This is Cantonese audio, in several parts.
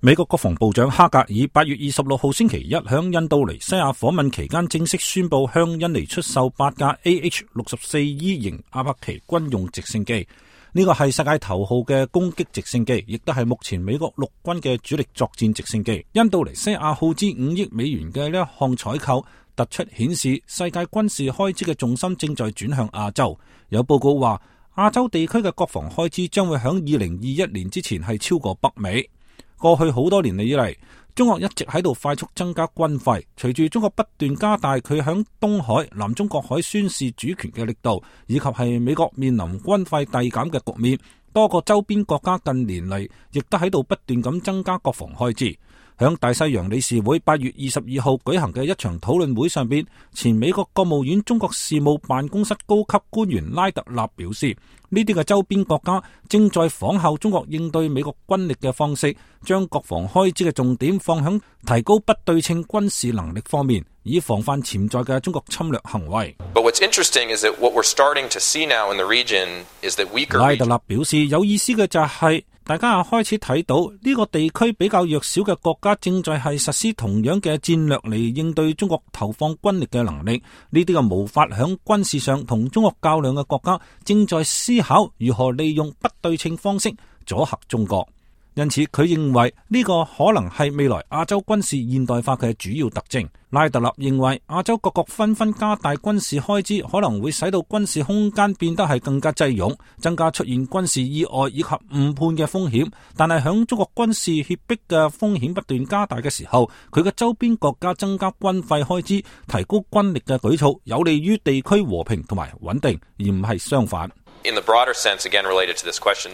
美國國防部長哈格爾8月26號星期一響印度尼西亞訪問期間正式宣布向印尼出售8架 AH-64E 型阿帕奇軍用直升機。呢個係世界頭號嘅攻擊直升機，亦都係目前美國陸軍嘅主力作戰直升機。印度尼西亞耗資5億美元嘅呢一項採購，突出顯示世界軍事開支嘅重心正在轉向亞洲。有報告話，亞洲地區嘅國防開支將會響2021年之前係超過北美。過去好多年嚟以嚟，中國一直喺度快速增加軍費。隨住中國不斷加大佢響東海、南中國海宣示主權嘅力度，以及係美國面臨軍費遞減嘅局面，多個周邊國家近年嚟亦都喺度不斷咁增加國防開支。響大西洋理事會8月22號舉行嘅一場討論會上邊，前美國國務院中國事務辦公室高級官員拉特納表示，呢啲嘅周邊國家正在仿效中國應對美國軍力嘅方式，將國防開支嘅重點放響提高不對稱軍事能力方面，以防範潛在嘅中國侵略行為。拉特納表示，有意思嘅就係大家開始睇到呢個地區比較弱小嘅國家正在係實施同樣嘅戰略嚟應對中國投放軍力嘅能力。呢啲嘅無法響軍事上同中國較量嘅國家正在思考如何利用不對稱方式阻嚇中國。因此佢認為呢個可能係未來亞洲軍事現代化嘅主要特徵。拉特納認為亞洲各國紛紛加大軍事開支，可能會使到軍事空間變得係更加擠擁，增加出現軍事意外以及誤判嘅風險。但係響中國軍事脅迫嘅風險不斷加大嘅時候，佢嘅周邊國家增加軍費開支、提高軍力嘅舉措，有利於地區和平同埋穩定，而唔係相反。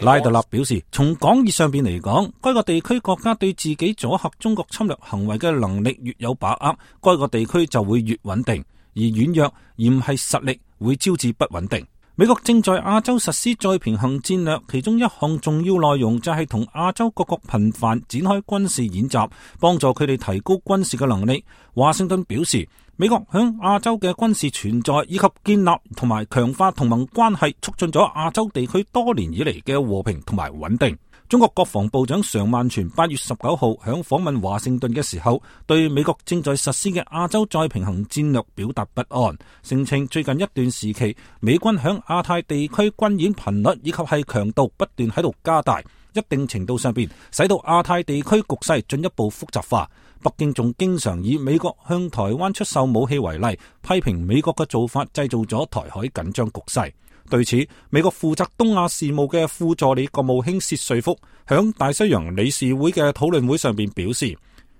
拉特納表示，從廣義上邊嚟講，該個地區國家對自己阻嚇中國侵略行為嘅能力越有把握，該個地區就會越穩定；而軟弱而唔係實力會招致不穩定。美國正在亞洲實施再平衡戰略，其中一項重要內容就係同亞洲各國頻繁展開軍事演習，幫助佢哋提高軍事嘅能力。華盛頓表示，美國響亞洲嘅軍事存在以及建立同埋強化同盟關係，促進咗亞洲地區多年以嚟嘅和平同埋穩定。中國國防部長常萬全8月19號響訪問華盛頓嘅時候，對美國正在實施嘅亞洲再平衡戰略表達不安，聲稱最近一段時期美軍響亞太地區軍演頻率以及係強度不斷喺度加大，一定程度上邊使到亞太地區局勢進一步複雜化。北京仲經常以美國向台灣出售武器為例，批評美國嘅做法製造咗台海緊張局勢。對此，美國負責東亞事務嘅副助理國務卿薛瑞福響大西洋理事會嘅討論會上邊表示，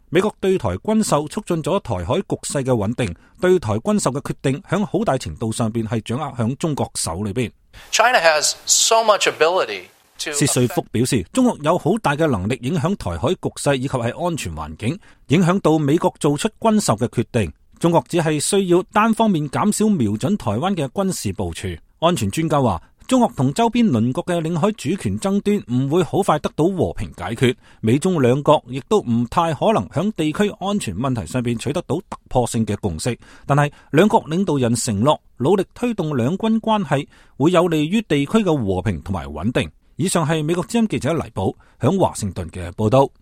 美國對台軍售促進咗台海局勢嘅穩定，對台軍售嘅決定響好大程度上邊係掌握響中國手裏邊。China has so much ability。薛瑞福表示，中國有好大嘅能力影響台海局勢以及係安全環境，影響到美國做出軍售嘅決定。中國只係需要單方面減少瞄準台灣嘅軍事部署。安全專家話，中國同周邊鄰國嘅領海主權爭端唔會好快得到和平解決，美中兩國亦都唔太可能響地區安全問題上邊取得到突破性嘅共識。但係兩國領導人承諾努力推動兩軍關係，會有利於地區嘅和平同埋穩定。以上係美國之音記者黎寶響華盛頓嘅報道。